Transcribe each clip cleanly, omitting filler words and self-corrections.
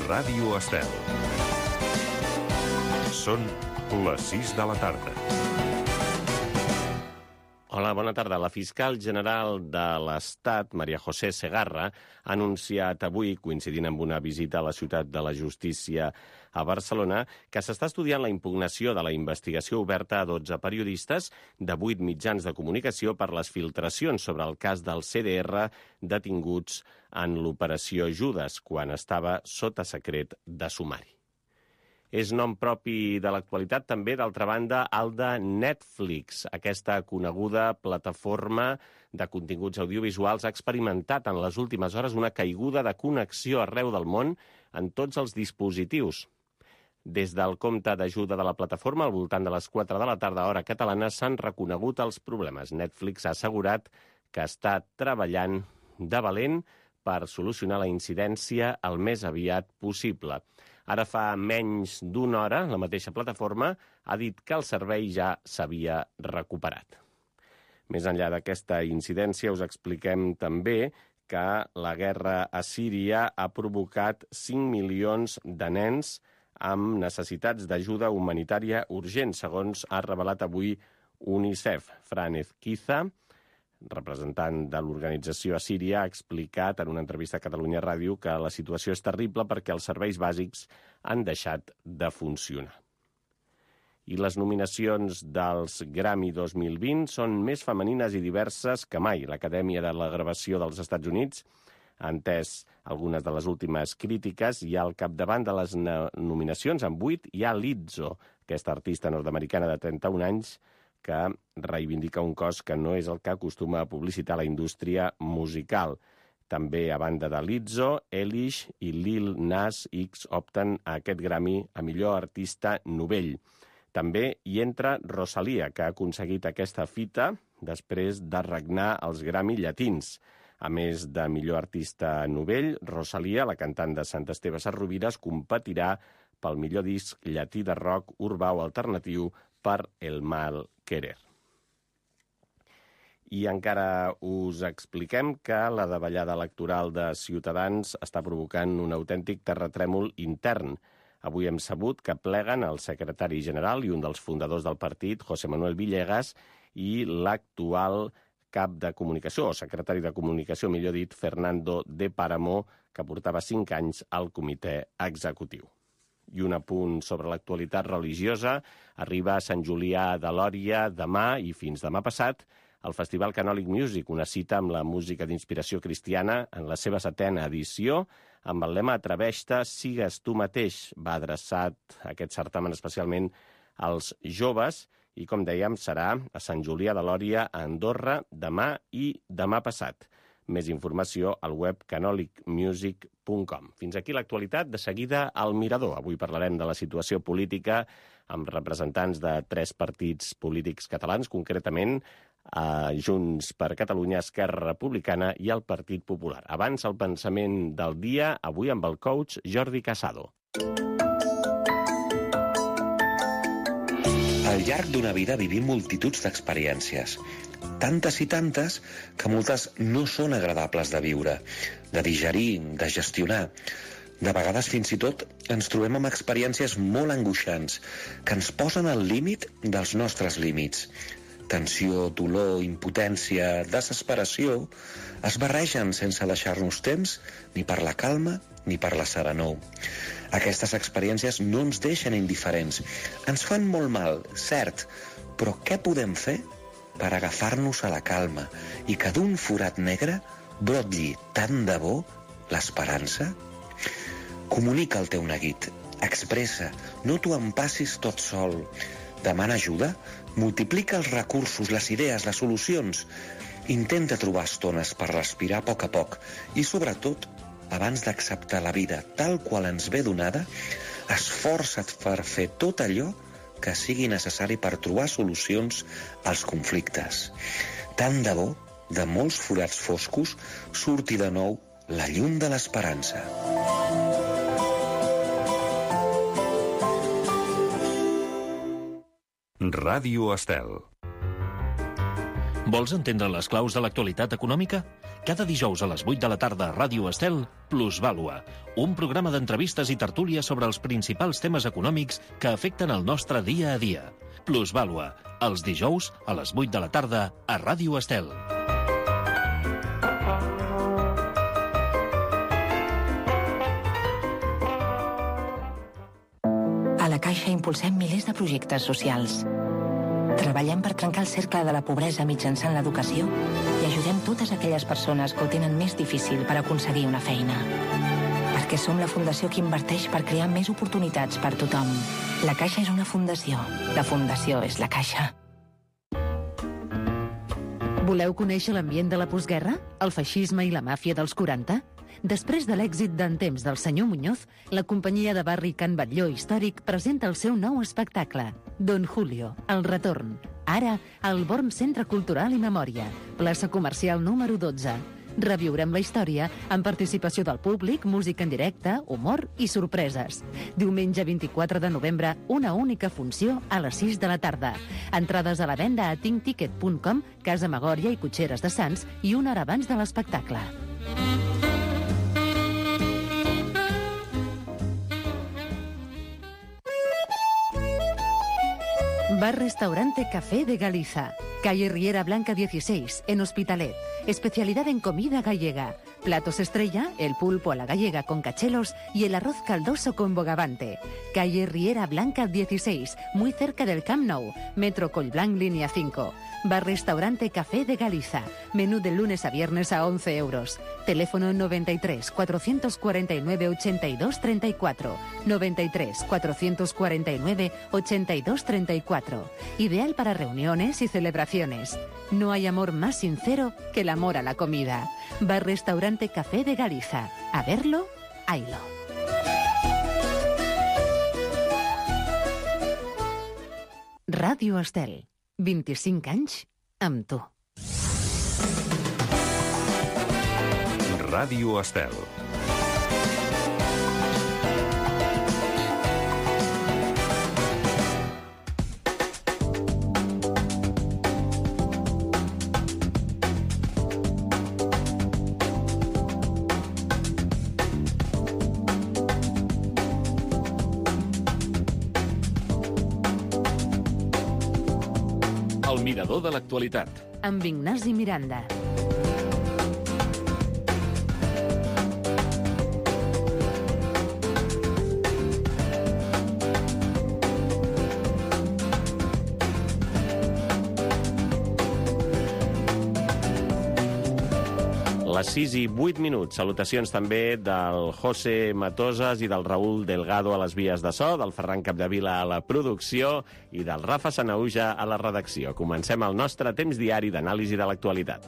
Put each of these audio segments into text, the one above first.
Ràdio Estel. Són les 6 de la tarda. Hola, bona tarda. La fiscal general de l'Estat, María José Segarra, ha anunciat avui, coincidint amb una visita a la ciutat de la justícia a Barcelona, que s'està estudiant la impugnació de la investigació oberta a 12 periodistes de 8 mitjans de comunicació per les filtracions sobre el cas del CDR detinguts en l'operació Judes, quan estava sota secret de sumari. És nom propi de l'actualitat també, d'altra banda, el de Netflix. Aquesta coneguda plataforma de continguts audiovisuals ha experimentat en les últimes hores una caiguda de connexió arreu del món en tots els dispositius. Des del compte d'ajuda de la plataforma, al voltant de les 4 de la tarda, hora catalana, s'han reconegut els problemes. Netflix ha assegurat que està treballant de valent per solucionar la incidència el més aviat possible. Ara fa menys d'una hora, la mateixa plataforma ha dit que el servei ja s'havia recuperat. Més enllà d'aquesta incidència, us expliquem també que la guerra a Síria ha provocat 5 milions de nens amb necessitats d'ajuda humanitària urgent, segons ha revelat avui UNICEF. Fran Ezquiza, representant de l'organització a Síria, ha explicat en una entrevista a Catalunya Ràdio que la situació és terrible perquè els serveis bàsics han deixat de funcionar. I les nominacions dels Grammy 2020 són més femenines i diverses que mai. L'Acadèmia de la Gravació dels Estats Units ha entès algunes de les últimes crítiques i al capdavant de les nominacions, amb 8, hi ha Lizzo, aquesta artista nord-americana de 31 anys, que reivindica un cos que no és el que acostuma a publicitar la indústria musical. També, a banda de Lizzo, Eilish i Lil Nas X opten a aquest Grammy a millor artista novell. També hi entra Rosalía, que ha aconseguit aquesta fita després de regnar els Grammy llatins. A més de millor artista novell, Rosalía, la cantant de Sant Esteve Sesrovires, competirà pel millor disc llatí de rock urbà o alternatiu per El Mal Querer. I encara us expliquem que la davallada electoral de Ciutadans està provocant un autèntic terratrèmol intern. Avui hem sabut que pleguen el secretari general i un dels fundadors del partit, José Manuel Villegas, i l'actual cap de comunicació, o secretari de comunicació, millor dit, Fernando de Páramo, que portava 5 anys al comitè executiu. I un apunt sobre l'actualitat religiosa. Arriba a Sant Julià de Lòria demà i fins demà passat el Festival Canòlic Music, una cita amb la música d'inspiració cristiana en la seva 7a edició, amb el lema Atreveix-te, sigues tu mateix. Va adreçat aquest certamen especialment als joves i, com dèiem, serà a Sant Julià de Lòria, a Andorra, demà i demà passat. Més informació al web canolicmusic.com. Fins aquí l'actualitat. De seguida, al Mirador. Avui parlarem de la situació política amb representants de 3 partits polítics catalans, concretament Junts per Catalunya, Esquerra Republicana i el Partit Popular. Abans, el pensament del dia, avui amb el coach Jordi Casado. Al llarg d'una vida vivim multituds d'experiències. Tantes i tantes que moltes no són agradables de viure, de digerir, de gestionar. De vegades, fins i tot, ens trobem amb experiències molt angoixants que ens posen al límit dels nostres límits. Tensió, dolor, impotència, desesperació es barregen sense deixar-nos temps ni per la calma ni per la serenor. Aquestes experiències no ens deixen indiferents. Ens fan molt mal, cert, però què podem fer per agafar-nos a la calma i que d'un forat negre brotlli tant de bo l'esperança? Comunica el teu neguit, expressa, no t'ho empassis tot sol. Demana ajuda, multiplica els recursos, les idees, les solucions. Intenta trobar estones per respirar a poc i, sobretot, abans d'acceptar la vida tal qual ens ve donada, esforça't per fer tot allò que sigui necessari per trobar solucions als conflictes. Tant de bo, de molts forats foscos, surti de nou la llum de l'esperança. Ràdio Estel. Vols entendre les claus de l'actualitat econòmica? Cada dijous a les 8 de la tarda a Ràdio Estel, Plusvàlua, un programa d'entrevistes i tertúlies sobre els principals temes econòmics que afecten el nostre dia a dia. Plusvàlua, els dijous a les 8 de la tarda a Ràdio Estel. A la Caixa impulsem milers de projectes socials. Treballem per trencar el cercle de la pobresa mitjançant l'educació i ajudem totes aquelles persones que ho tenen més difícil per aconseguir una feina. Perquè som la fundació que inverteix per crear més oportunitats per tothom. La Caixa és una fundació. La fundació és la Caixa. Voleu conèixer l'ambient de la postguerra? El feixisme i la màfia dels 40? Després de l'èxit d'En temps del senyor Muñoz, la companyia de barri Can Batlló Històric presenta el seu nou espectacle, Don Julio, el retorn. Ara, al Born Centre Cultural i Memòria, plaça comercial número 12. Reviurem la història amb participació del públic, música en directe, humor i sorpreses. Diumenge 24 de novembre, una única funció a les 6 de la tarda. Entrades a la venda a tinkticket.com, Casa Magòria i Cotxeres de Sants i una hora abans de l'espectacle. Bar-Restaurante Café de Galiza, calle Riera Blanca 16, en Hospitalet. Especialidad en comida gallega. Platos estrella, el pulpo a la gallega con cachelos y el arroz caldoso con bogavante. Calle Riera Blanca 16, muy cerca del Camp Nou. Metro Collblanc, línea 5. Bar-Restaurante Café de Galiza. Menú de lunes a viernes a 11 euros. Teléfono 93 449 82 34. 93 449 82 34. Ideal para reuniones y celebraciones. No hay amor más sincero que el amor a la comida. Bar-Restaurante Café de Galiza. A verlo, haylo. Ràdio Estel. 25 anys amb tu. Ràdio Estel. El mirador de l'actualitat. Amb Ignasi Miranda. Les 6 i 8 minuts. Salutacions també del José Matosas i del Raúl Delgado a les vies de so, del Ferran Capdevila a la producció i del Rafa Sanauja a la redacció. Comencem el nostre temps diari d'anàlisi de l'actualitat.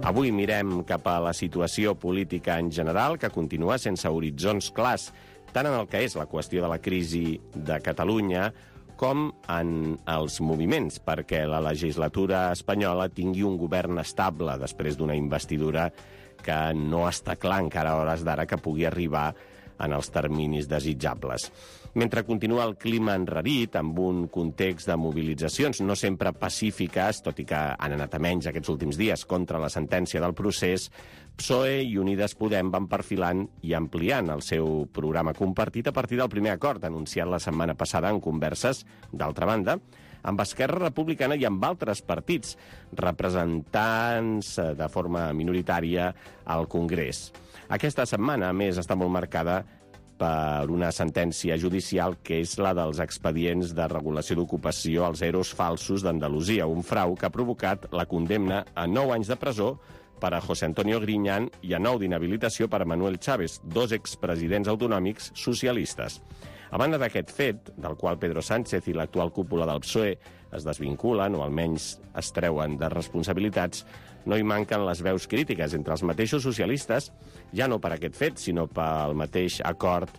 Avui mirem cap a la situació política en general, que continua sense horitzons clars, tant en el que és la qüestió de la crisi de Catalunya, com en els moviments perquè la legislatura espanyola tingui un govern estable després d'una investidura que no està clar encara a hores d'ara que pugui arribar en els terminis desitjables. Mentre continua el clima enrarit, amb un context de mobilitzacions no sempre pacífiques, tot i que han anat a menys aquests últims dies contra la sentència del procés, PSOE i Unides Podem van perfilant i ampliant el seu programa compartit a partir del primer acord anunciat la setmana passada en converses, d'altra banda, amb Esquerra Republicana i amb altres partits, representants de forma minoritària al Congrés. Aquesta setmana, a més, està molt marcada per una sentència judicial que és la dels expedients de regulació d'ocupació als EROs falsos d'Andalusia, un frau que ha provocat la condemna a 9 anys de presó per a José Antonio Griñán i a 9 d'inhabilitació per a Manuel Chávez, 2 expresidents autonòmics socialistes. A banda d'aquest fet, del qual Pedro Sánchez i l'actual cúpula del PSOE es desvinculen o almenys es treuen de responsabilitats, no hi manquen les veus crítiques entre els mateixos socialistes, ja no per aquest fet, sinó pel mateix acord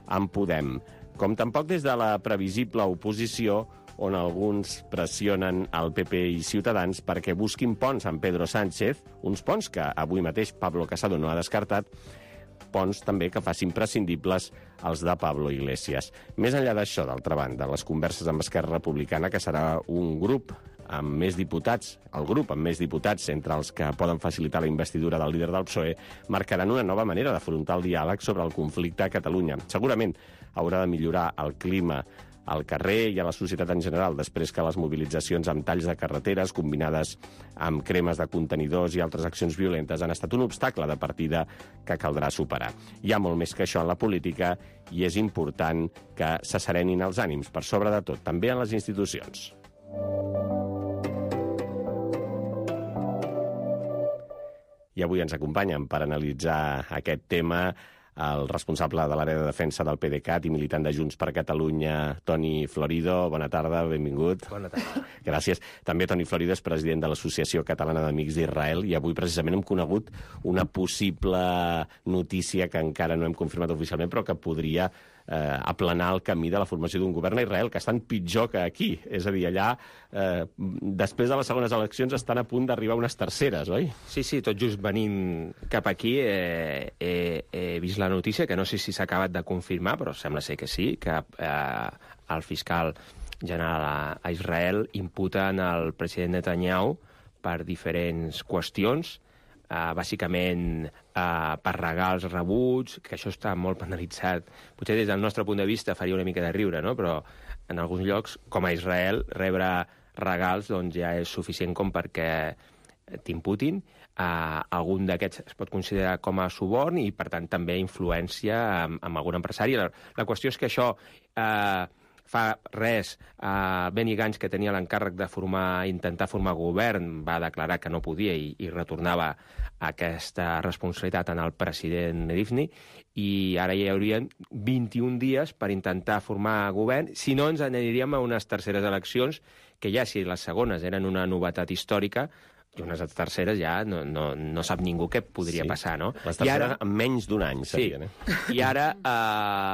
amb Podem, com tampoc des de la previsible oposició, on alguns pressionen el PP i Ciutadans perquè busquin ponts amb Pedro Sánchez, uns ponts que avui mateix Pablo Casado no ha descartat, ponts també que facin prescindibles els de Pablo Iglesias. Més enllà d'això, d'altra banda, les converses amb Esquerra Republicana, que serà un grup amb més diputats, el grup amb més diputats, entre els que poden facilitar la investidura del líder del PSOE, marcaran una nova manera d'afrontar el diàleg sobre el conflicte a Catalunya. Segurament haurà de millorar el clima al carrer i a la societat en general, després que les mobilitzacions amb talls de carreteres, combinades amb cremes de contenidors i altres accions violentes, han estat un obstacle de partida que caldrà superar. Hi ha molt més que això en la política i és important que s'asserenin els ànims, per sobre de tot, també en les institucions. I avui ens acompanyen per analitzar aquest tema el responsable de l'àrea de defensa del PDeCAT i militant de Junts per Catalunya, Toni Florido. Bona tarda, benvingut. Bona tarda. Gràcies. També Toni Florido és president de l'Associació Catalana d'Amics d'Israel i avui precisament hem conegut una possible notícia que encara no hem confirmat oficialment, però que podria aplanar el camí de la formació d'un govern a Israel, que estan pitjor que aquí. És a dir, allà, després de les segones eleccions, estan a punt d'arribar unes terceres, oi? Sí, tot just venint cap aquí he vist la notícia, que no sé si s'ha acabat de confirmar, però sembla ser que sí, que el fiscal general a Israel imputa al president Netanyahu per diferents qüestions, bàsicament per regals rebuts, que això està molt penalitzat. Potser des del nostre punt de vista faria una mica de riure, no? Però en alguns llocs, com a Israel, rebre regals doncs, ja és suficient com perquè t'imputin. Algun d'aquests es pot considerar com a suborn i, per tant, també influència amb algun empresari. La qüestió és que això... Fa res, Benny Gantz, que tenia l'encàrrec de intentar formar govern, va declarar que no podia i retornava aquesta responsabilitat en el president Rivlin, i ara hi haurien 21 dies per intentar formar govern, si no ens aniríem a unes terceres eleccions, que ja si les segones eren una novetat històrica, i unes terceres ja no sap ningú què podria passar, no? Les terceres en menys d'un any serien, I ara,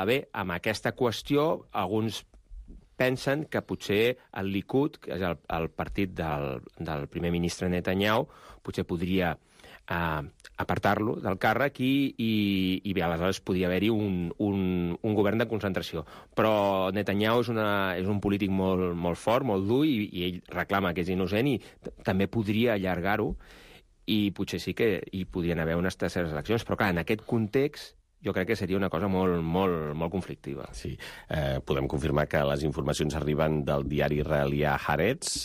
bé, amb aquesta qüestió, alguns pensen que potser el Likud, que és el partit del primer ministre Netanyahu, potser podria apartar-lo del càrrec i bé, aleshores podria haver-hi un govern de concentració. Però Netanyahu és un polític molt fort, molt dur, i ell reclama que és innocent i també podria allargar-ho, i potser sí que hi podrien haver unes terceres eleccions. Però clar, en aquest context jo crec que seria una cosa molt conflictiva. Sí, podem confirmar que les informacions arriben del diari israelià Haaretz,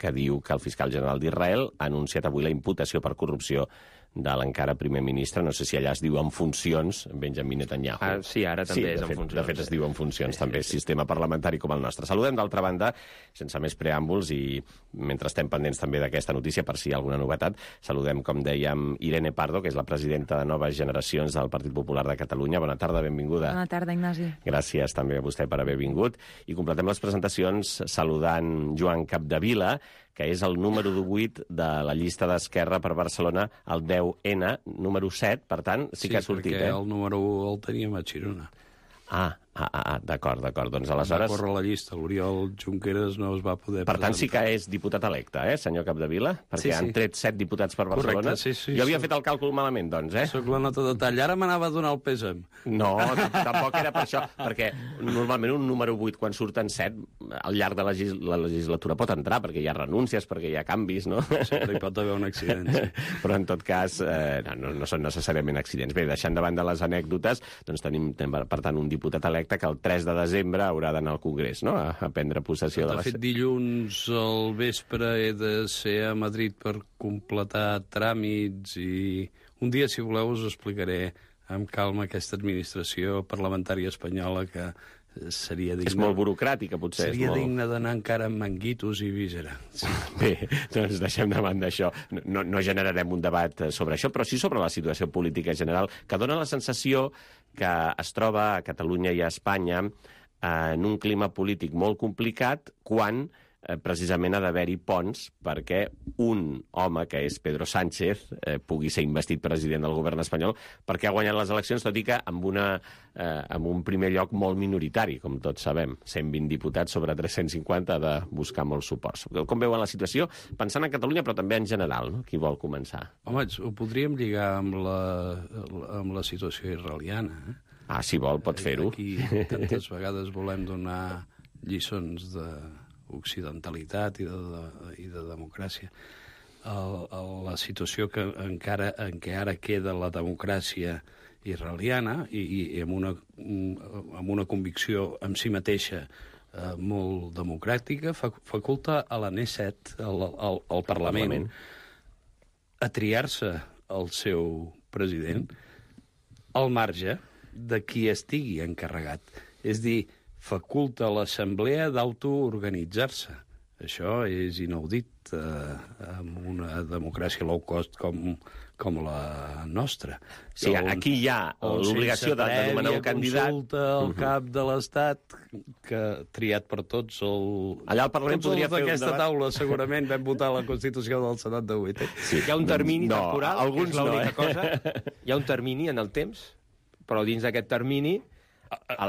que diu que el fiscal general d'Israel ha anunciat avui la imputació per corrupció de l'encara primer ministre. No sé si allà es diu en funcions, Benjamin Netanyahu. Sí, ara també és en funcions. De fet, es diu en funcions, també, sistema parlamentari com el nostre. Saludem, d'altra banda, sense més preàmbuls, i mentre estem pendents també d'aquesta notícia, per si hi ha alguna novetat, saludem, com dèiem, Irene Pardo, que és la presidenta de Noves Generacions del Partit Popular de Catalunya. Bona tarda, benvinguda. Bona tarda, Ignasi. Gràcies també a vostè per haver vingut. I completem les presentacions saludant Joan Capdevila, que és el número 18 de la llista d'Esquerra per Barcelona, el 10N, número 7, per tant, sí que ha sortit, perquè el número 1 el teníem a Girona. D'acord. Doncs aleshores... Va córrer la llista, l'Oriol Junqueras no es va poder Per tant, sí que és diputat electe, senyor Capdevila? Perquè han tret 7 diputats per Barcelona. Correcte, sí. Jo havia fet el càlcul malament, doncs, Soc la nota de tall. Ara m'anava a donar el pèsam. No, tampoc era per això, perquè normalment un número 8, quan surten 7, al llarg de la legislatura pot entrar, perquè hi ha renúncies, perquè hi ha canvis, no? Sempre hi pot haver un accident, sí. Però, en tot cas, no són necessàriament accidents. Bé, deixant de banda les anècdotes, doncs tenim, per tant, un diputat electe que el 3 de desembre haurà d'anar al Congrés, no?, a prendre possessió de la... De fet, dilluns al vespre he de ser a Madrid per completar tràmits i un dia, si voleu, us explicaré amb calma aquesta administració parlamentària espanyola que seria digna... És molt burocràtica, potser. Seria digna d'anar encara amb manguitos i visera. Sí. Bé, doncs deixem de banda això. No generarem un debat sobre això, però sí sobre la situació política general, que dona la sensació que es troba a Catalunya i a Espanya en un clima polític molt complicat quan precisament ha d'haver-hi ponts perquè un home, que és Pedro Sánchez, pugui ser investit president del govern espanyol, perquè ha guanyat les eleccions, tot i que amb un primer lloc molt minoritari, com tots sabem. 120 diputats sobre 350 ha de buscar molts suports. Com veuen la situació? Pensant en Catalunya, però també en general, no? Qui vol començar? Home, ho podríem lligar amb la situació israeliana. Si vol, pot fer-ho. Aquí tantes vegades volem donar lliçons de d'occidentalitat i de democràcia. La situació en què ara queda la democràcia israeliana i amb una convicció en si mateixa molt democràtica, faculta a la Knesset, al Parlament, a triar-se el seu president al marge de qui estigui encarregat. És dir, faculta a l'Assemblea d'autoorganitzar-se. Això és inaudit en una democràcia low cost com la nostra. Sí, aquí hi ha l'obligació de nomenar un candidat. Consulta al cap de l'Estat, que triat per tots allà al Parlament podria fer un debat. D'aquesta taula segurament vam votar la Constitució del 78. Sí. Hi ha un termini temporal, que és l'única cosa. Hi ha un termini en el temps, però dins d'aquest termini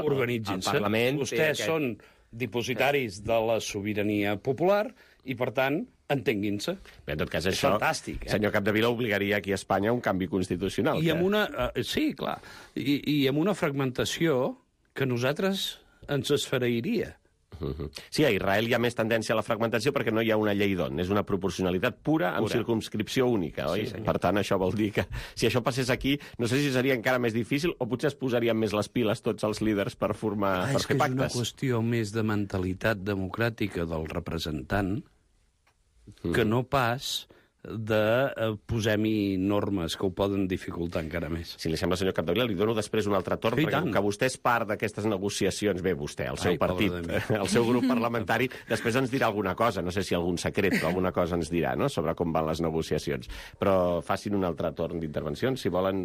organitzin-se. El Parlament... Vostès són dipositaris de la sobirania popular i, per tant, entenguin-se. Bé, en tot cas, això, fantàstic, senyor Capdevila, obligaria aquí a Espanya un canvi constitucional. I amb una... sí, clar. I amb una fragmentació que a nosaltres ens esfereiria. Sí, a Israel hi ha més tendència a la fragmentació perquè no hi ha una llei d'on. És una proporcionalitat pura amb circumscripció única, oi? Sí, per tant, això vol dir que si això passés aquí, no sé si seria encara més difícil o potser es posarien més les piles tots els líders per formar, per fer pactes. És una qüestió més de mentalitat democràtica del representant que no pas de posem-hi normes que ho poden dificultar encara més. Si li sembla, senyor Capdevila, li dono després un altre torn, perquè que vostè és part d'aquestes negociacions, bé, vostè, el seu partit, el seu grup parlamentari, després ens dirà alguna cosa, no sé si algun secret, però alguna cosa ens dirà, no?, sobre com van les negociacions. Però facin un altre torn d'intervencions, si volen,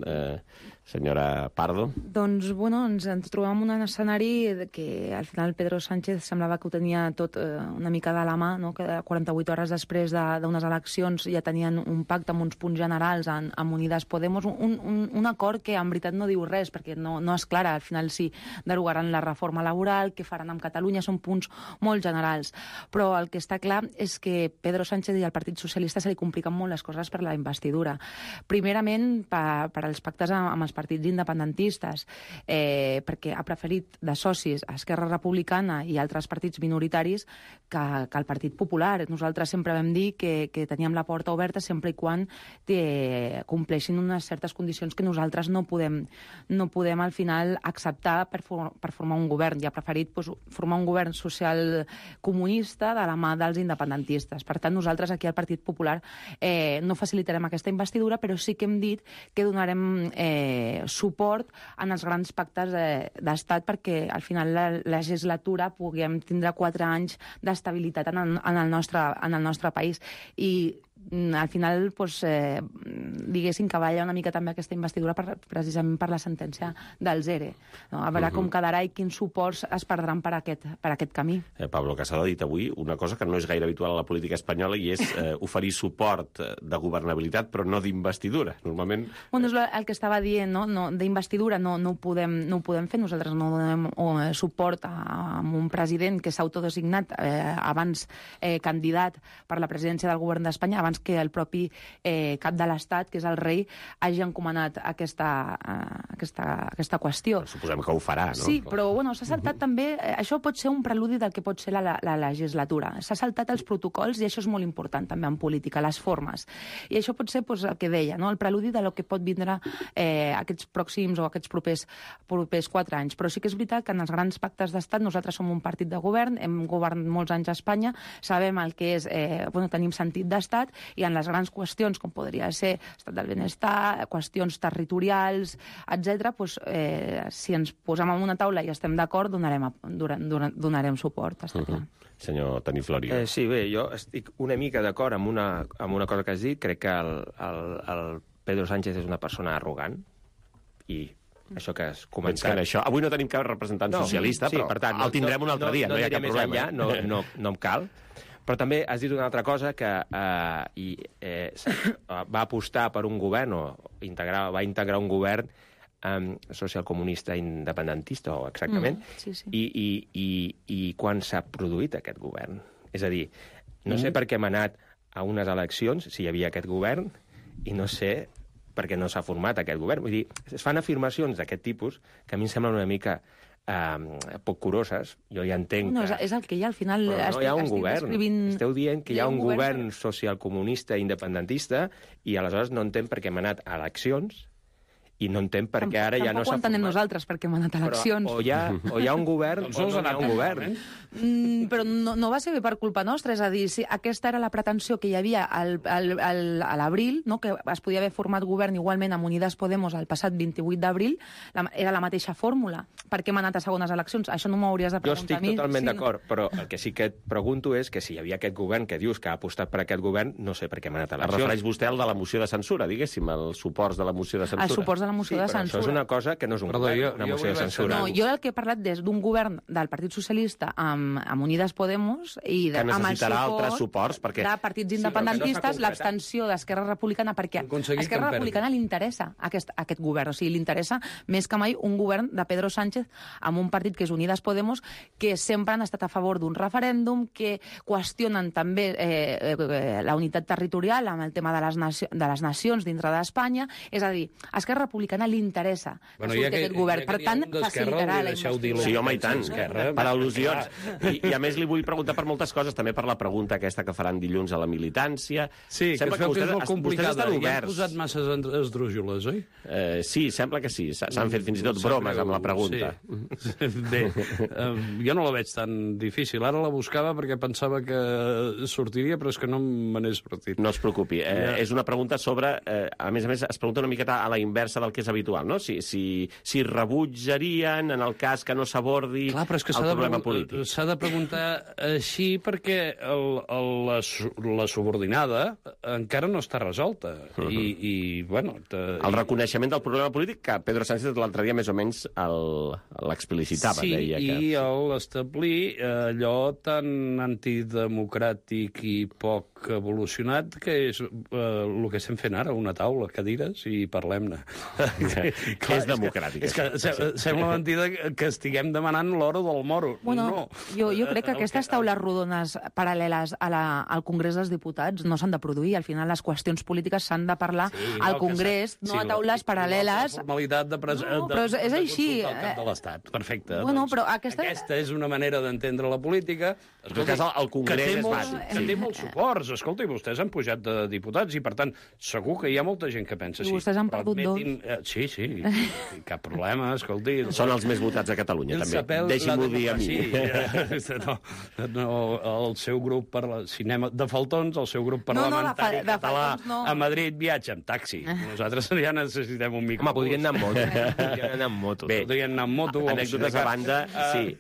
senyora Pardo. Doncs, bueno, ens trobem en un escenari que al final Pedro Sánchez semblava que ho tenia tot una mica de la mà, no?, que 48 hores després d'unes eleccions ja tenien un pacte amb uns punts generals amb Unidas Podemos, un acord que en veritat no diu res, perquè no és clara. Al final sí, derogaran la reforma laboral, què faran amb Catalunya, són punts molt generals. Però el que està clar és que Pedro Sánchez i al Partit Socialista se li compliquen molt les coses per la investidura. Primerament, per als pactes amb els partits independentistes, perquè ha preferit de socis a Esquerra Republicana i altres partits minoritaris que el Partit Popular. Nosaltres sempre vam dir que teníem la porta oberta sempre i quan compleixin unes certes condicions que nosaltres no podem al final acceptar per formar un govern. Ja ha preferit formar un govern social comunista de la mà dels independentistes. Per tant, nosaltres aquí al Partit Popular no facilitarem aquesta investidura, però sí que hem dit que donarem suport en els grans pactes d'estat perquè al final la legislatura puguem tindre 4 anys d'estabilitat en el nostre país. I al final, diguéssim que balla una mica també aquesta investidura precisament per la sentència del ZERE. A veure com quedarà i quins suports es perdran per aquest camí. Pablo Casado ha dit avui una cosa que no és gaire habitual a la política espanyola i és oferir suport de governabilitat però no d'investidura. Normalment... Bueno, és el que estava dient, no? D'investidura no ho podem fer. Nosaltres no donem suport a un president que s'ha autodesignat abans candidat per la presidència del govern d'Espanya, abans que el propi cap de l'Estat, que és el rei, hagi encomanat aquesta qüestió. Però suposem que ho farà, no? Sí, però bueno, s'ha saltat també... Això pot ser un preludi del que pot ser la legislatura. S'ha saltat els protocols i això és molt important també en política, les formes. I això pot ser el que deia, no? El preludi de lo que pot vindre aquests pròxims o aquests propers 4 anys. Però sí que és veritat que en els grans pactes d'estat nosaltres som un partit de govern, hem governat molts anys a Espanya, sabem el que és... tenim sentit d'estat i en les grans qüestions, com podria ser estat del benestar, qüestions territorials, etc., si ens posem en una taula i estem d'acord, donarem suport, està clar. Senyor Toni Florio. Sí, bé, jo estic una mica d'acord amb una cosa que has dit. Crec que el Pedro Sánchez és una persona arrogant i això que has comentat... Avui no tenim cap representant socialista, però per tant, el tindrem un altre dia, no hi ha cap problema. No em cal. Però també has dit una altra cosa que va apostar per un govern o va integrar un govern socialcomunista independentista, o exactament, sí. I quan s'ha produït aquest govern? És a dir, no sé per què hem anat a unes eleccions, si hi havia aquest govern, i no sé per què no s'ha format aquest govern. Vull dir, es fan afirmacions d'aquest tipus que a mi em semblen una mica poc curoses. Jo ja entenc No, és el que hi ha, al final... Però no hi ha un govern. Descrivint... Esteu dient que hi ha un govern socialcomunista independentista i aleshores no entenc per què hem anat a eleccions i no entenc per què ara ja no s'ha format. Tampoc ho entenem nosaltres, perquè hem anat a eleccions. O hi ha un govern o no hi ha un govern. Però no va ser per culpa nostra, és a dir, si aquesta era la pretensió que hi havia a l'abril, no? Que es podia haver format govern igualment amb Unides Podemos el passat 28 d'abril, era la mateixa fórmula. Per què hem anat a segones eleccions? Això no m'ho hauries de preguntar a mi. Jo estic totalment d'acord, però el que sí que et pregunto és que si hi havia aquest govern que dius que ha apostat per aquest govern, no sé per què hem anat a eleccions. Es refereix vostè al de la moció de censura, diguéssim, els suports de la moció de censura. Els suports de la moció de censura. Això és una cosa que no és un govern, una moció de censura. No, jo el que he parlat és d'un govern del Partit Socialista amb Unides Podemos i que necessitarà altres suports perquè... de partits independentistes, l'abstenció d'Esquerra Republicana, perquè a Esquerra Republicana li interessa aquest govern, o sigui, li interessa més que mai un govern de Pedro Sánchez amb un partit que és Unides Podemos, que sempre han estat a favor d'un referèndum, que qüestionen també la unitat territorial amb el tema de les nacions dintre d'Espanya. És a dir, a Esquerra Republicana li interessa que surti aquest govern. Per tant, facilitarà la investidura. Sí, home, i tant, per al·lusions. I a més li vull preguntar per moltes coses, també per la pregunta aquesta que faran dilluns a la militància. Sí, sembla que és molt complicada. Ja han posat massa esdrújoles, oi? Sí, sembla que sí. S'han fet fins i tot bromes amb la pregunta. Sí. Bé, jo no la veig tan difícil. Ara la buscava perquè pensava que sortiria, però és que no me n'he sortit. No es preocupi. És una pregunta sobre... A més, es pregunta una miqueta a la inversa del que és habitual, no? Si rebutjarien en el cas que no s'abordi el problema polític. S'ha de preguntar així perquè la subordinada encara no està resolta. I bueno... El reconeixement del problema polític que Pedro Sánchez l'altre dia més o menys l'explicitava. Sí, deia que... i l'establir allò tan antidemocràtic i poc evolucionat que és el que estem fent ara, una taula, cadires, i parlem-ne. Que és democràtic. És que sembla mentida que estiguem demanant l'hora del moro. Bueno, no. Jo crec que aquestes taules rodones paral·leles al Congrés dels Diputats no s'han de produir. Al final, les qüestions polítiques s'han de parlar al Congrés, no a taules paral·leles. La formalitat de però és així. Consultar el cap de l'Estat. Perfecte. Bueno, però aquesta és una manera d'entendre la política. En tot cas, el Congrés és bàsic. Que té molts suports. Escolta, i vostès han pujat de diputats i, per tant, segur que hi ha molta gent que pensa així. I vostès han perdut dos. Sí, cap problema, escolti. Són els més votats a Catalunya, també. Deixi-m'ho dir a mi. El seu grup de faltons, el seu grup parlamentari català a Madrid viatja amb taxi. Nosaltres ja necessitem un micro. Home, podrien anar amb moto. Podrien anar amb moto. Anècdotes a banda, sí.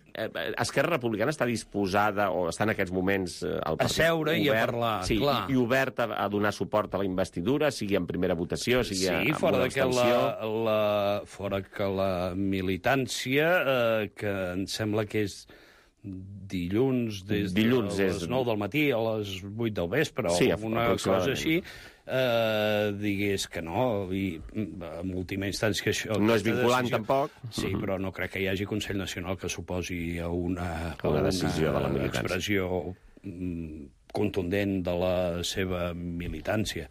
Esquerra Republicana està disposada, o està en aquests moments al partit, a seure i a parlar, sí, clar. I oberta a donar suport a la investidura, sigui en primera votació, sigui amb una abstenció. Fora que la militància, que em sembla que és dilluns des de les 9 del matí a les 8 del vespre, sí, o una cosa així, digués que no, i en última instància que això... No és vinculant, tampoc. Sí, però no crec que hi hagi Consell Nacional que suposi a una decisió de la militància. Expressió contundent de la seva militància.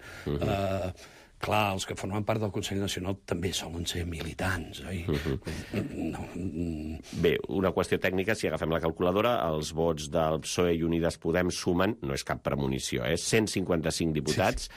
Clar, els que formen part del Consell Nacional també solen ser militants, oi? Bé, una qüestió tècnica, si agafem la calculadora, els vots del PSOE i Unides Podem sumen, no és cap premonició, 155 diputats,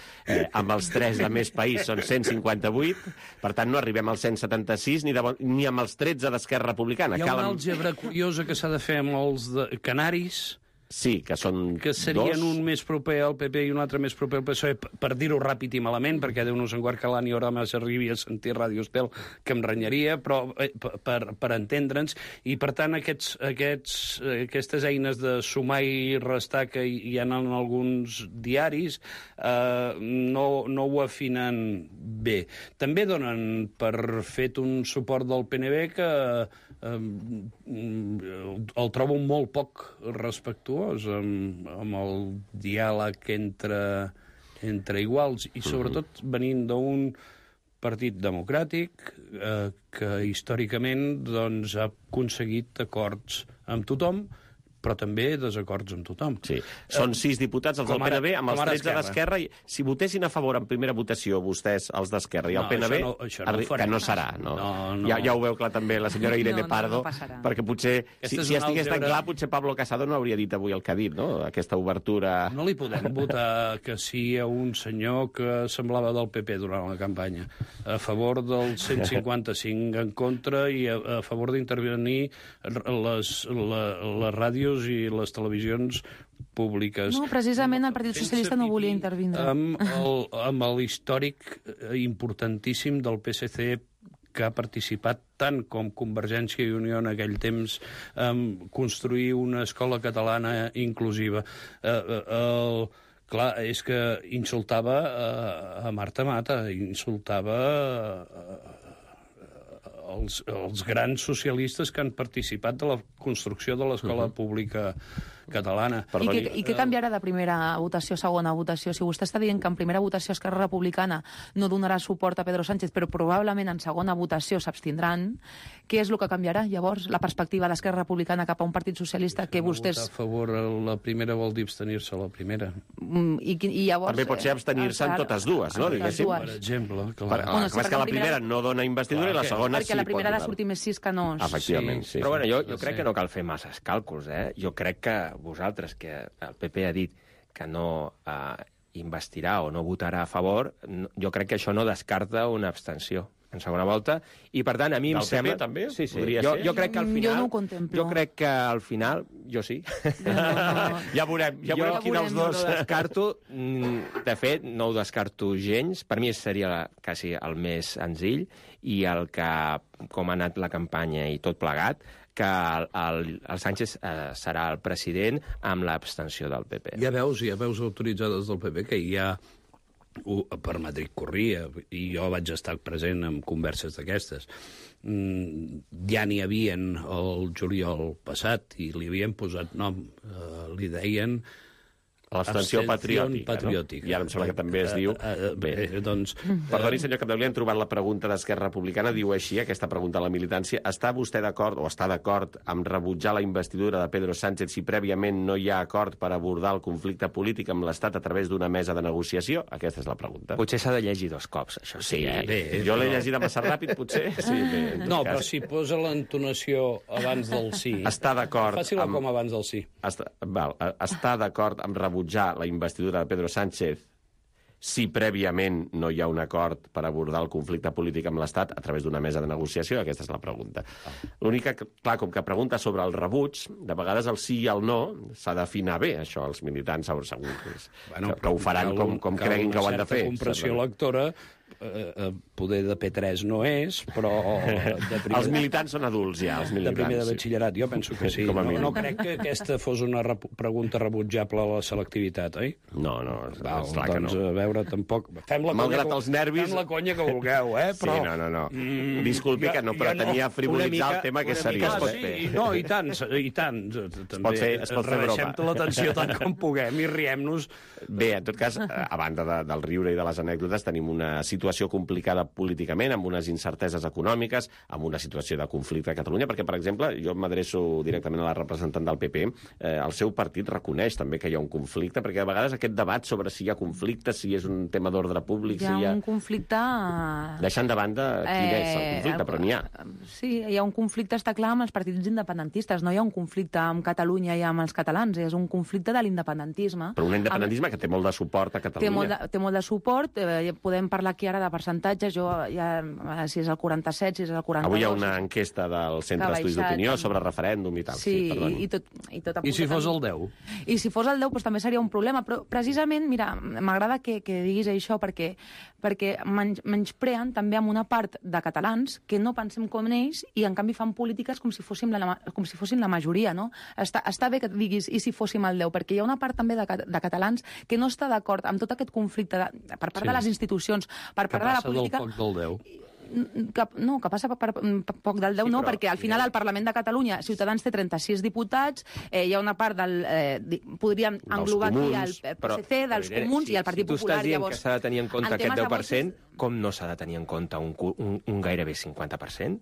amb els 3 de Més País són 158, per tant no arribem als 176 ni amb els 13 d'Esquerra Republicana. Hi ha una àlgebra curiosa que s'ha de fer amb els canaris. Sí, que són que serien dos. Un més proper al PP i un altre més proper al PSOE, per dir-ho ràpid i malament, perquè Déu-nos en guard que l'Ani Oramas arribi a sentir Ràdio Estel, que em renyaria, però per entendre'ns, i per tant aquestes eines de sumar i restar que hi ha en alguns diaris no ho afinen bé. També donen per fet un suport del PNB que el trobo molt poc respectuós amb el diàleg entre iguals, i sobretot venint d'un partit democràtic que històricament doncs, ha aconseguit acords amb tothom, però també desacords amb tothom. Sí. Són 6 diputats, els del PNB, amb els 13 d'Esquerra. Si votessin a favor en primera votació vostès, els d'Esquerra i el PNB, que no serà. Ja ho veu clar també la senyora Irene Pardo, perquè potser, si estigués tan clar, potser Pablo Casado no hauria dit avui el que ha dit, no? Aquesta obertura... No li podem votar que sí a un senyor que semblava del PP durant la campanya, a favor del 155 en contra i a favor d'intervenir les ràdios i les televisions públiques. No, precisament el Partit Socialista no volia intervindre. Amb l'històric importantíssim del PSC, que ha participat tant com Convergència i Unió en aquell temps en construir una escola catalana inclusiva. Clar, és que insultava a Marta Mata, insultava els grans socialistes que han participat de la construcció de l'escola pública catalana. I què canviarà de primera votació a segona votació? Si vostè està dient que en primera votació Esquerra Republicana no donarà suport a Pedro Sánchez, però probablement en segona votació s'abstindran, què és el que canviarà, llavors, la perspectiva d'Esquerra Republicana cap a un partit socialista que vostès... Votar a favor la primera vol dir abstenir-se a la primera. I llavors... També pot ser abstenir-se en totes dues, no? Diguéssim. Per exemple. És que la primera no dona investidura i la segona sí. Perquè la primera ha de sortir més 6 que no. Efectivament, sí. Però bueno, jo crec que no cal fer masses càlculs, eh? Jo crec que vosaltres, que el PP ha dit que no investirà o no votarà a favor, jo crec que això no descarta una abstenció en segona volta, i per tant a mi em sembla... PP també? Sí. Jo crec que al final... Jo no ho contemplo. Jo crec que al final... Jo sí. Ja veurem quin dels dos... No descarto, de fet, no ho descarto gens. Per mi seria quasi el més senzill, i el que, com ha anat la campanya i tot plegat, que el Sánchez serà el president amb l'abstenció del PP. Hi ha veus autoritzades del PP que hi ha per Madrid corria, i jo vaig estar present en converses d'aquestes. Ja n'hi havien el juliol passat i li havien posat nom, li deien... L'abstenció patriòtica, no? I ara em sembla que també es diu... doncs... Perdoni, senyor Capdevila, hem trobat la pregunta d'Esquerra Republicana, diu així, aquesta pregunta a la militància: està vostè d'acord, o està d'acord, amb rebutjar la investidura de Pedro Sánchez si prèviament no hi ha acord per abordar el conflicte polític amb l'Estat a través d'una mesa de negociació? Aquesta és la pregunta. Potser s'ha de llegir 2 cops, això sí. Jo l'he llegit massa ràpid, potser. No, però si posa l'entonació abans del sí... Està d'acord... Faci-la com abans del sí. Està d'acord amb rebutjar la investidura de Pedro Sánchez si prèviament no hi ha un acord per abordar el conflicte polític amb l'Estat a través d'una mesa de negociació? Aquesta és la pregunta. L'única, clar, com que pregunta sobre el rebuig, de vegades el sí i el no s'ha d'afinar bé, això, els militants segur que ho faran com creguin que ho han de fer. Cal una certa compressió lectora, poder de P3 no és, però... Els militants són adults, ja, els militants. De primer de batxillerat, jo penso que sí. No crec que aquesta fos una pregunta rebutjable a la selectivitat, oi? No, esclar que no. Doncs, a veure, tampoc... Malgrat els nervis... Fem la conya que vulgueu, però... Sí, no. Disculpi que no pretenia frivolitzar el tema, que és seriós. No, i tant. Es pot fer broma. Rebaixem l'atenció tant com puguem i riem-nos. Bé, en tot cas, a banda del riure i de les anècdotes, tenim una situació complicada políticament, amb unes incerteses econòmiques, amb una situació de conflicte a Catalunya, perquè, per exemple, jo m'adreço directament a la representant del PP, el seu partit reconeix també que hi ha un conflicte, perquè a vegades aquest debat sobre si hi ha conflicte, si és un tema d'ordre públic... Hi ha un conflicte... Deixant de banda quin és el conflicte, però n'hi ha. Sí, hi ha un conflicte, està clar, amb els partits independentistes. No hi ha un conflicte amb Catalunya i amb els catalans, és un conflicte de l'independentisme. Però un independentisme que té molt de suport a Catalunya. Té molt de suport, podem parlar aquí ara de percentatges, si és el 47, si és el 42... Avui hi ha una enquesta del Centre d'Estudis d'Opinió sobre referèndum i tal. Sí, i tot I si fos el 10? I si fos el 10, doncs també seria un problema. Però precisament, mira, m'agrada que diguis això perquè menyspreen també amb una part de catalans que no pensem com ells i en canvi fan polítiques com si fossin la majoria, no? Està bé que diguis i si fóssim el 10, perquè hi ha una part també de catalans que no està d'acord amb tot aquest conflicte per part de les institucions, per part de la política... Que passa del poc del 10. Que passa per poc del 10, no, perquè al final al Parlament de Catalunya Ciutadans té 36 diputats, hi ha una part podríem englobar aquí el PSC, dels Comuns i el Partit Popular. Si tu estàs dient que s'ha de tenir en compte aquest 10%, com no s'ha de tenir en compte un gairebé 50%?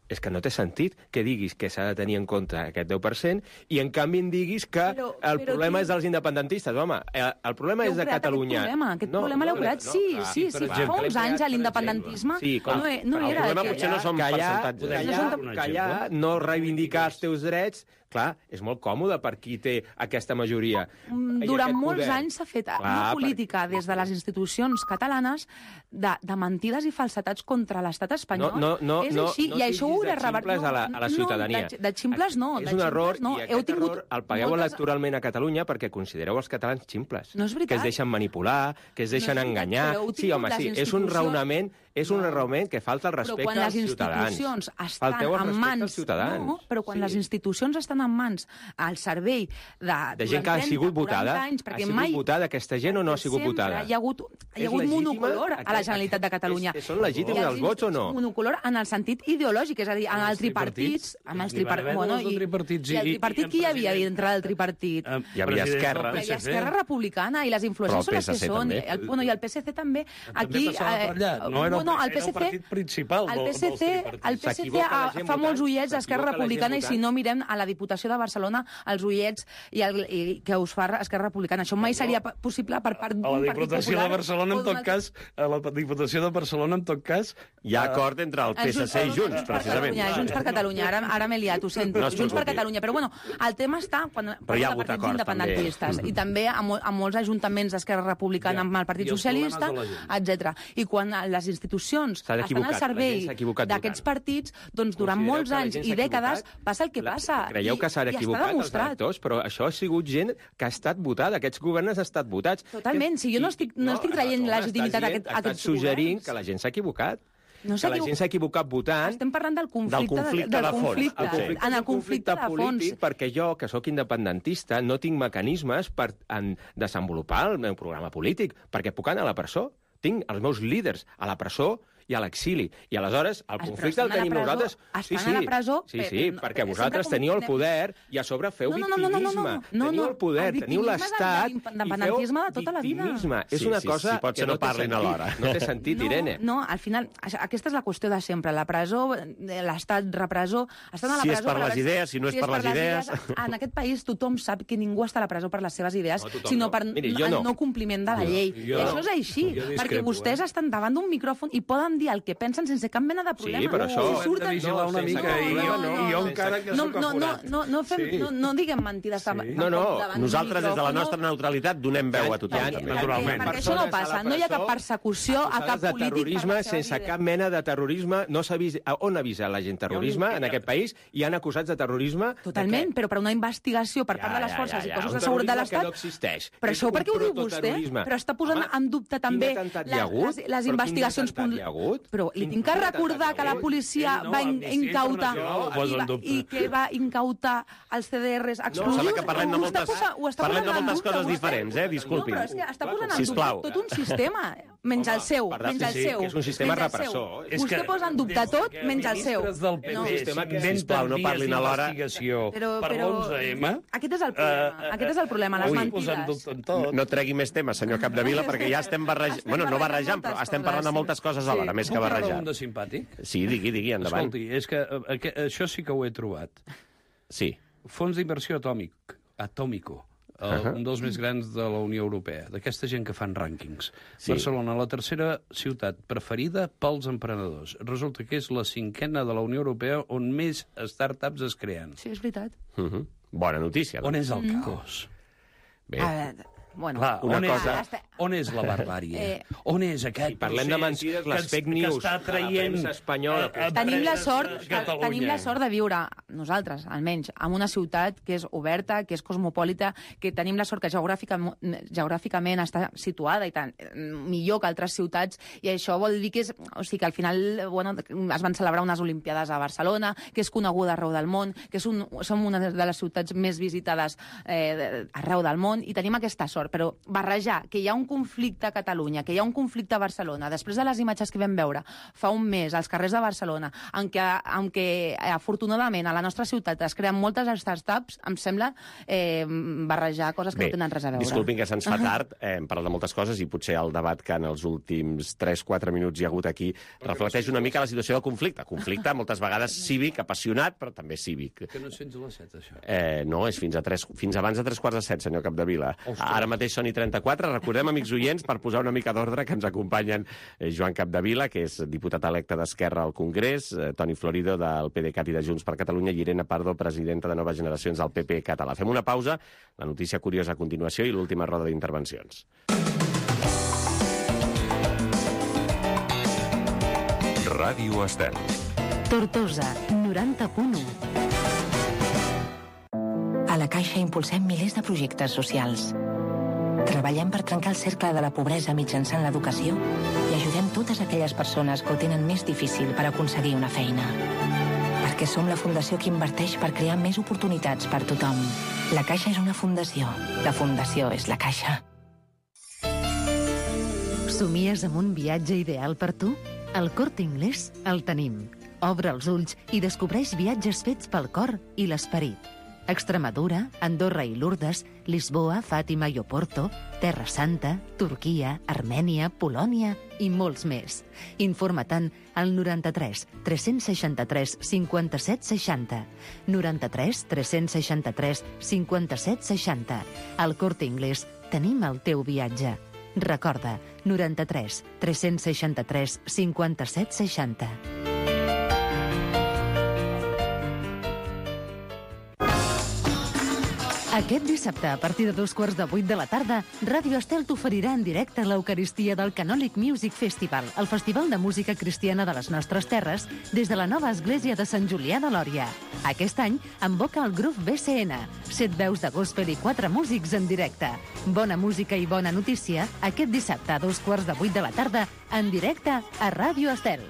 és que no té sentit que diguis que s'ha de tenir en compte aquest 10% i, en canvi, em diguis que el problema és dels independentistes. Home, el problema és de Catalunya. Aquest problema l'heu creat, sí. Fa uns anys a l'independentisme no era... El problema potser no són percentatges. Callar, no reivindicar els teus drets, clar, és molt còmode per qui té aquesta majoria. Durant molts anys s'ha fet una política des de les institucions catalanes de mentides i falsetats contra l'estat espanyol. És així, i això ho heu de revertir. A la ciutadania. De ximples no. És un error, i aquest error el pagueu electoralment a Catalunya perquè considereu els catalans ximples. No és veritat. Que es deixen manipular, que es deixen enganyar. Sí, home, sí, és un raonament que falta el respecte als ciutadans. Falteu el respecte als ciutadans. No, però quan les institucions estan en mans al servei de gent que ha sigut votada, ha sigut votada aquesta gent o no ha sigut votada? Hi ha hagut monocolor a la Generalitat de Catalunya. Són legítims els vots o no? Monocolor en el sentit ideològic, és a dir, en els tripartits. I el tripartit qui hi havia dintre del tripartit? Hi havia Esquerra. Hi havia Esquerra Republicana i les influències són les que són. I el PSC també. Aquí... No, el partit principal dels tripartits. El PSC fa molts ullets a Esquerra Republicana i si no mirem a la Diputació de Barcelona els ullets que us fa Esquerra Republicana. Això mai seria possible per part d'un partit popular. A la Diputació de Barcelona, en tot cas... Hi ha acord entre el PSC i Junts, precisament. Junts per Catalunya. Ara m'he liat, ho sento. Junts per Catalunya. Però bueno, el tema està quan hi ha hagut partits independentistes i també a molts ajuntaments d'Esquerra Republicana amb el Partit Socialista, etc. I quan les institucions estan al servei d'aquests partits, doncs durant molts anys i dècades passa el que passa. Creieu que s'han equivocat els electors? Però això ha sigut gent que ha estat votada. Aquests governs han estat votats. Totalment. Si jo no estic traient legitimitat a aquests governs. Estàs suggerint que la gent s'ha equivocat. Que la gent s'ha equivocat votant... Estem parlant del conflicte de fons. En el conflicte de fons. Perquè jo, que sóc independentista, no tinc mecanismes per desenvolupar el meu programa polític, perquè puc anar a la presó. Tinc els meus líders a la presó i a l'exili. I aleshores el conflicte el tenim nosaltres... Estan a la presó... Sí, perquè vosaltres teniu el poder i a sobre feu victimisme. Teniu el poder, teniu l'Estat i feu victimisme. És una cosa que no parlin alhora. No té sentit, Irene. No, al final, aquesta és la qüestió de sempre. La presó, l'Estat repressor... Estan a la presó... Si és per les idees, si no és per les idees... En aquest país tothom sap que ningú està a la presó per les seves idees, sinó per el no compliment de la llei. I això és així, perquè vostès estan davant d'un micròfon i poden dir el que pensen sense cap mena de problema. Sí, però això... Hem de vigilar una mica i jo encara que sóc aforat. No diguem mentides. No, nosaltres des de la nostra neutralitat donem veu a tothom. Naturalment. Perquè això no passa. No hi ha cap persecució a cap polític. Terrorisme, sense cap mena de terrorisme, no s'ha vist... On avisa la gent terrorisme en aquest país? Hi han acusats de terrorisme? Totalment, però per una investigació per part de les forces i cossos de seguretat de l'Estat... no existeix. Però això per què ho diu vostè? Però està posant en dubte també les investigacions... Però li tinc que recordar que la policia va incautar i que va incautar els CDRs explosius. Sembla que parlem de moltes coses diferents, disculpi. No, però és que està posant en dubte tot un sistema, menys el seu. Que és un sistema repressor. Vostè posa en dubte tot, menys el seu. Sisplau, no parlin alhora. Per l'11M... Aquest és el problema, les mentides. No tregui més temes, senyor Capdevila, perquè ja estem barrejant... Bueno, no barrejant, però estem parlant de moltes coses alhora, més que barrejar. Un de simpàtic? Sí, digui, endavant. Escolti, és que això sí que ho he trobat. Sí. Fons d'inversió Atómico, un dels més grans de la Unió Europea, d'aquesta gent que fan rànquings. Barcelona, la tercera ciutat preferida pels emprenedors. Resulta que és la 5ª de la Unió Europea on més startups es creen. Sí, és veritat. Bona notícia. On és el caos? Bé... Bueno, on és la barbàrie? On és aquest parlem de mentides, les fake news, que està traient espanyola? Tenim la sort de viure, nosaltres, almenys, en una ciutat que és oberta, que és cosmopolita, que tenim la sort que geogràficament està situada i tant millor que altres ciutats, i això vol dir que que al final es van celebrar unes Olimpiades a Barcelona, que és coneguda arreu del món, que som una de les ciutats més visitades arreu del món, i tenim aquesta sort. d'acord, però barrejar que hi ha un conflicte a Catalunya, que hi ha un conflicte a Barcelona, després de les imatges que vam veure fa un mes als carrers de Barcelona, en què afortunadament a la nostra ciutat es creen moltes startups, em sembla barrejar coses que no tenen res a veure. Disculpin que se'ns fa tard, hem parlat de moltes coses i potser el debat que en els últims 3-4 minuts hi ha hagut aquí reflecteix una mica la situació del conflicte. Conflicte, moltes vegades cívic, apassionat, però també cívic. Que no és fins a les 7, això. No, és fins abans de 3:45, senyor Capdevila. Ara mateix són i 34. Recordem, amics oients, per posar una mica d'ordre, que ens acompanyen Joan Capdevila, que és diputat electe d'Esquerra al Congrés, Toni Florido, del PDeCAT i de Junts per Catalunya, i Irene Pardo, presidenta de Noves Generacions del PP català. Fem una pausa, la notícia curiosa a continuació i l'última roda d'intervencions. Ràdio Estel. Tortosa, 90.1. A la Caixa impulsem milers de projectes socials. Treballem per trencar el cercle de la pobresa mitjançant l'educació i ajudem totes aquelles persones que ho tenen més difícil per aconseguir una feina. Perquè som la fundació que inverteix per crear més oportunitats per tothom. La Caixa és una fundació. La fundació és la Caixa. Somies amb un viatge ideal per tu? Al Corte Inglés el tenim. Obre els ulls i descobreix viatges fets pel cor i l'esperit. Extremadura, Andorra i Lourdes, Lisboa, Fàtima i Oporto, Terra Santa, Turquia, Armènia, Polònia i molts més. Informa-te'n al 93 363 57 60. 93 363 57 60. Al Corte Inglés tenim el teu viatge. Recorda, 93 363 57 60. Aquest dissabte, a partir de 7:15 de la tarda, Ràdio Estel t'oferirà en directe l'Eucaristia del Canòlic Music Festival, el festival de música cristiana de les nostres terres, des de la nova església de Sant Julià de Lòria. Aquest any invoca el grup BCN, 7 veus de gospel i 4 músics en directe. Bona música i bona notícia, aquest dissabte a 7:15 de la tarda, en directe a Ràdio Estel.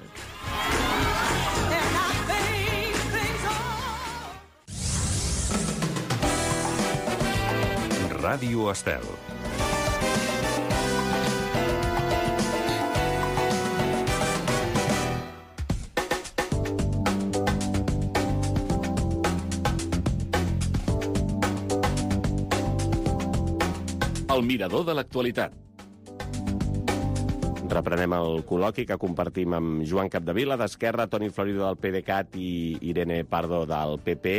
Ràdio Estel. El mirador de l'actualitat. Reprenem el col·loqui que compartim amb Joan Capdevila, d'Esquerra, Toni Florido, del PDeCAT, i Irene Pardo, del PP.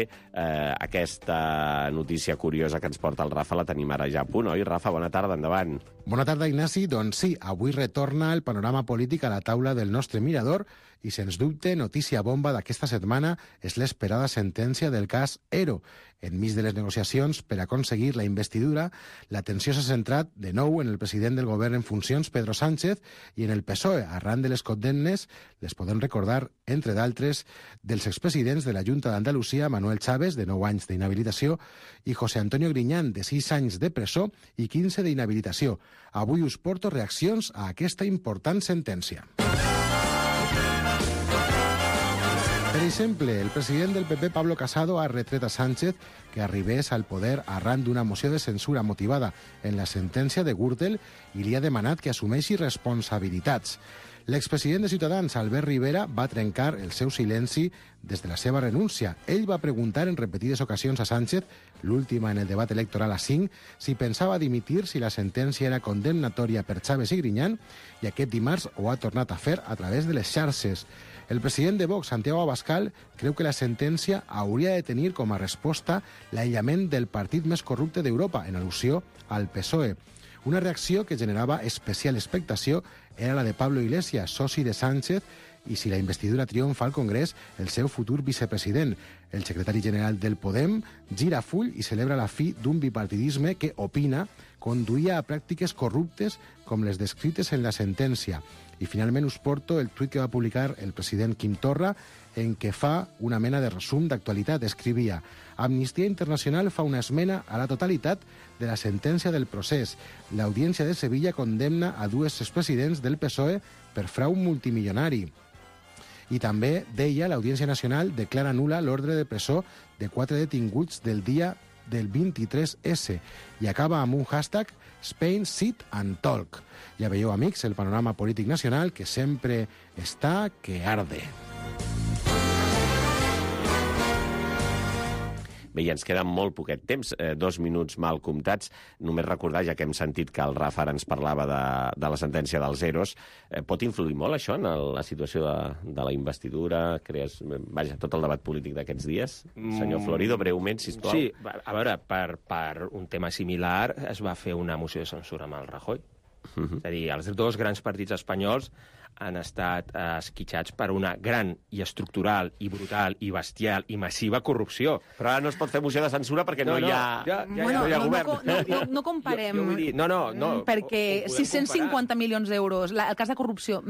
Aquesta notícia curiosa que ens porta el Rafa la tenim ara ja a punt, oi? Rafa, bona tarda, endavant. Bona tarda, Ignasi. Doncs sí, avui retorna el panorama polític a la taula del nostre mirador i, sens dubte, notícia bomba d'aquesta setmana és l'esperada sentència del cas Ero. Enmig de les negociacions per aconseguir la investidura, l'atenció s'ha centrat de nou en el president del govern en funcions, Pedro Sánchez, i en el PSOE, arran de les condemnes, les podem recordar, entre d'altres, dels expresidents de la Junta d'Andalusia, Manuel Chaves, de 9 anys d'inhabilitació, i José Antonio Griñán, de 6 anys de presó i 15 d'inhabilitació. Avui us porto reaccions a aquesta important sentència. Per exemple, el president del PP, Pablo Casado, ha retret a Sánchez que arribés al poder arran d'una moció de censura motivada en la sentència de Gürtel i li ha demanat que assumeixi responsabilitats. L'expresident de Ciutadans, Albert Rivera, va trencar el seu silenci des de la seva renúncia. Ell va preguntar en repetides ocasions a Sánchez, l'última en el debat electoral a 5, si pensava dimitir si la sentència era condemnatòria per Chaves i Griñán, i aquest dimarts ho ha tornat a fer a través de les xarxes. El president de Vox, Santiago Abascal, creu que la sentència hauria de tenir com a resposta l'aïllament del partit més corrupte d'Europa, en al·lusió al PSOE. Una reacció que generava especial expectació era la de Pablo Iglesias, soci de Sánchez, i si la investidura triomfa al Congrés, el seu futur vicepresident. El secretari general del Podem gira full i celebra la fi d'un bipartidisme que, opina, conduïa a pràctiques corruptes com les descrites en la sentència. I finalment us porto el tuit que va publicar el president Quim Torra en què fa una mena de resum d'actualitat. Escrivia: Amnistia Internacional fa una esmena a la totalitat de la sentència del procés. L'Audiència de Sevilla condemna a 2 expresidents del PSOE per frau multimilionari. I també, deia, l'Audiència Nacional declara nul·la l'ordre de presó de 4 detinguts del dia del 23S i acaba amb un hashtag Spain Sit and Talk. Ja veieu, amics, el panorama polític nacional que sempre està que arde. Bé, i ens queda molt poquet temps, 2 minuts mal comptats. Només recordar, ja que hem sentit que el Rafa ara ens parlava de la sentència dels EROs, pot influir molt això en la situació de la investidura? Vaja, tot el debat polític d'aquests dies? Senyor Florido, breument, sisplau. Sí, a veure, per un tema similar es va fer una moció de censura amb el Rajoy. És a dir, els dos grans partits espanyols han estat esquitxats per una gran i estructural i brutal i bestial i massiva corrupció. Però ara no es pot fer moció de censura perquè no hi ha govern. No comparem. No, perquè 650 milions d'euros, el cas de corrupció,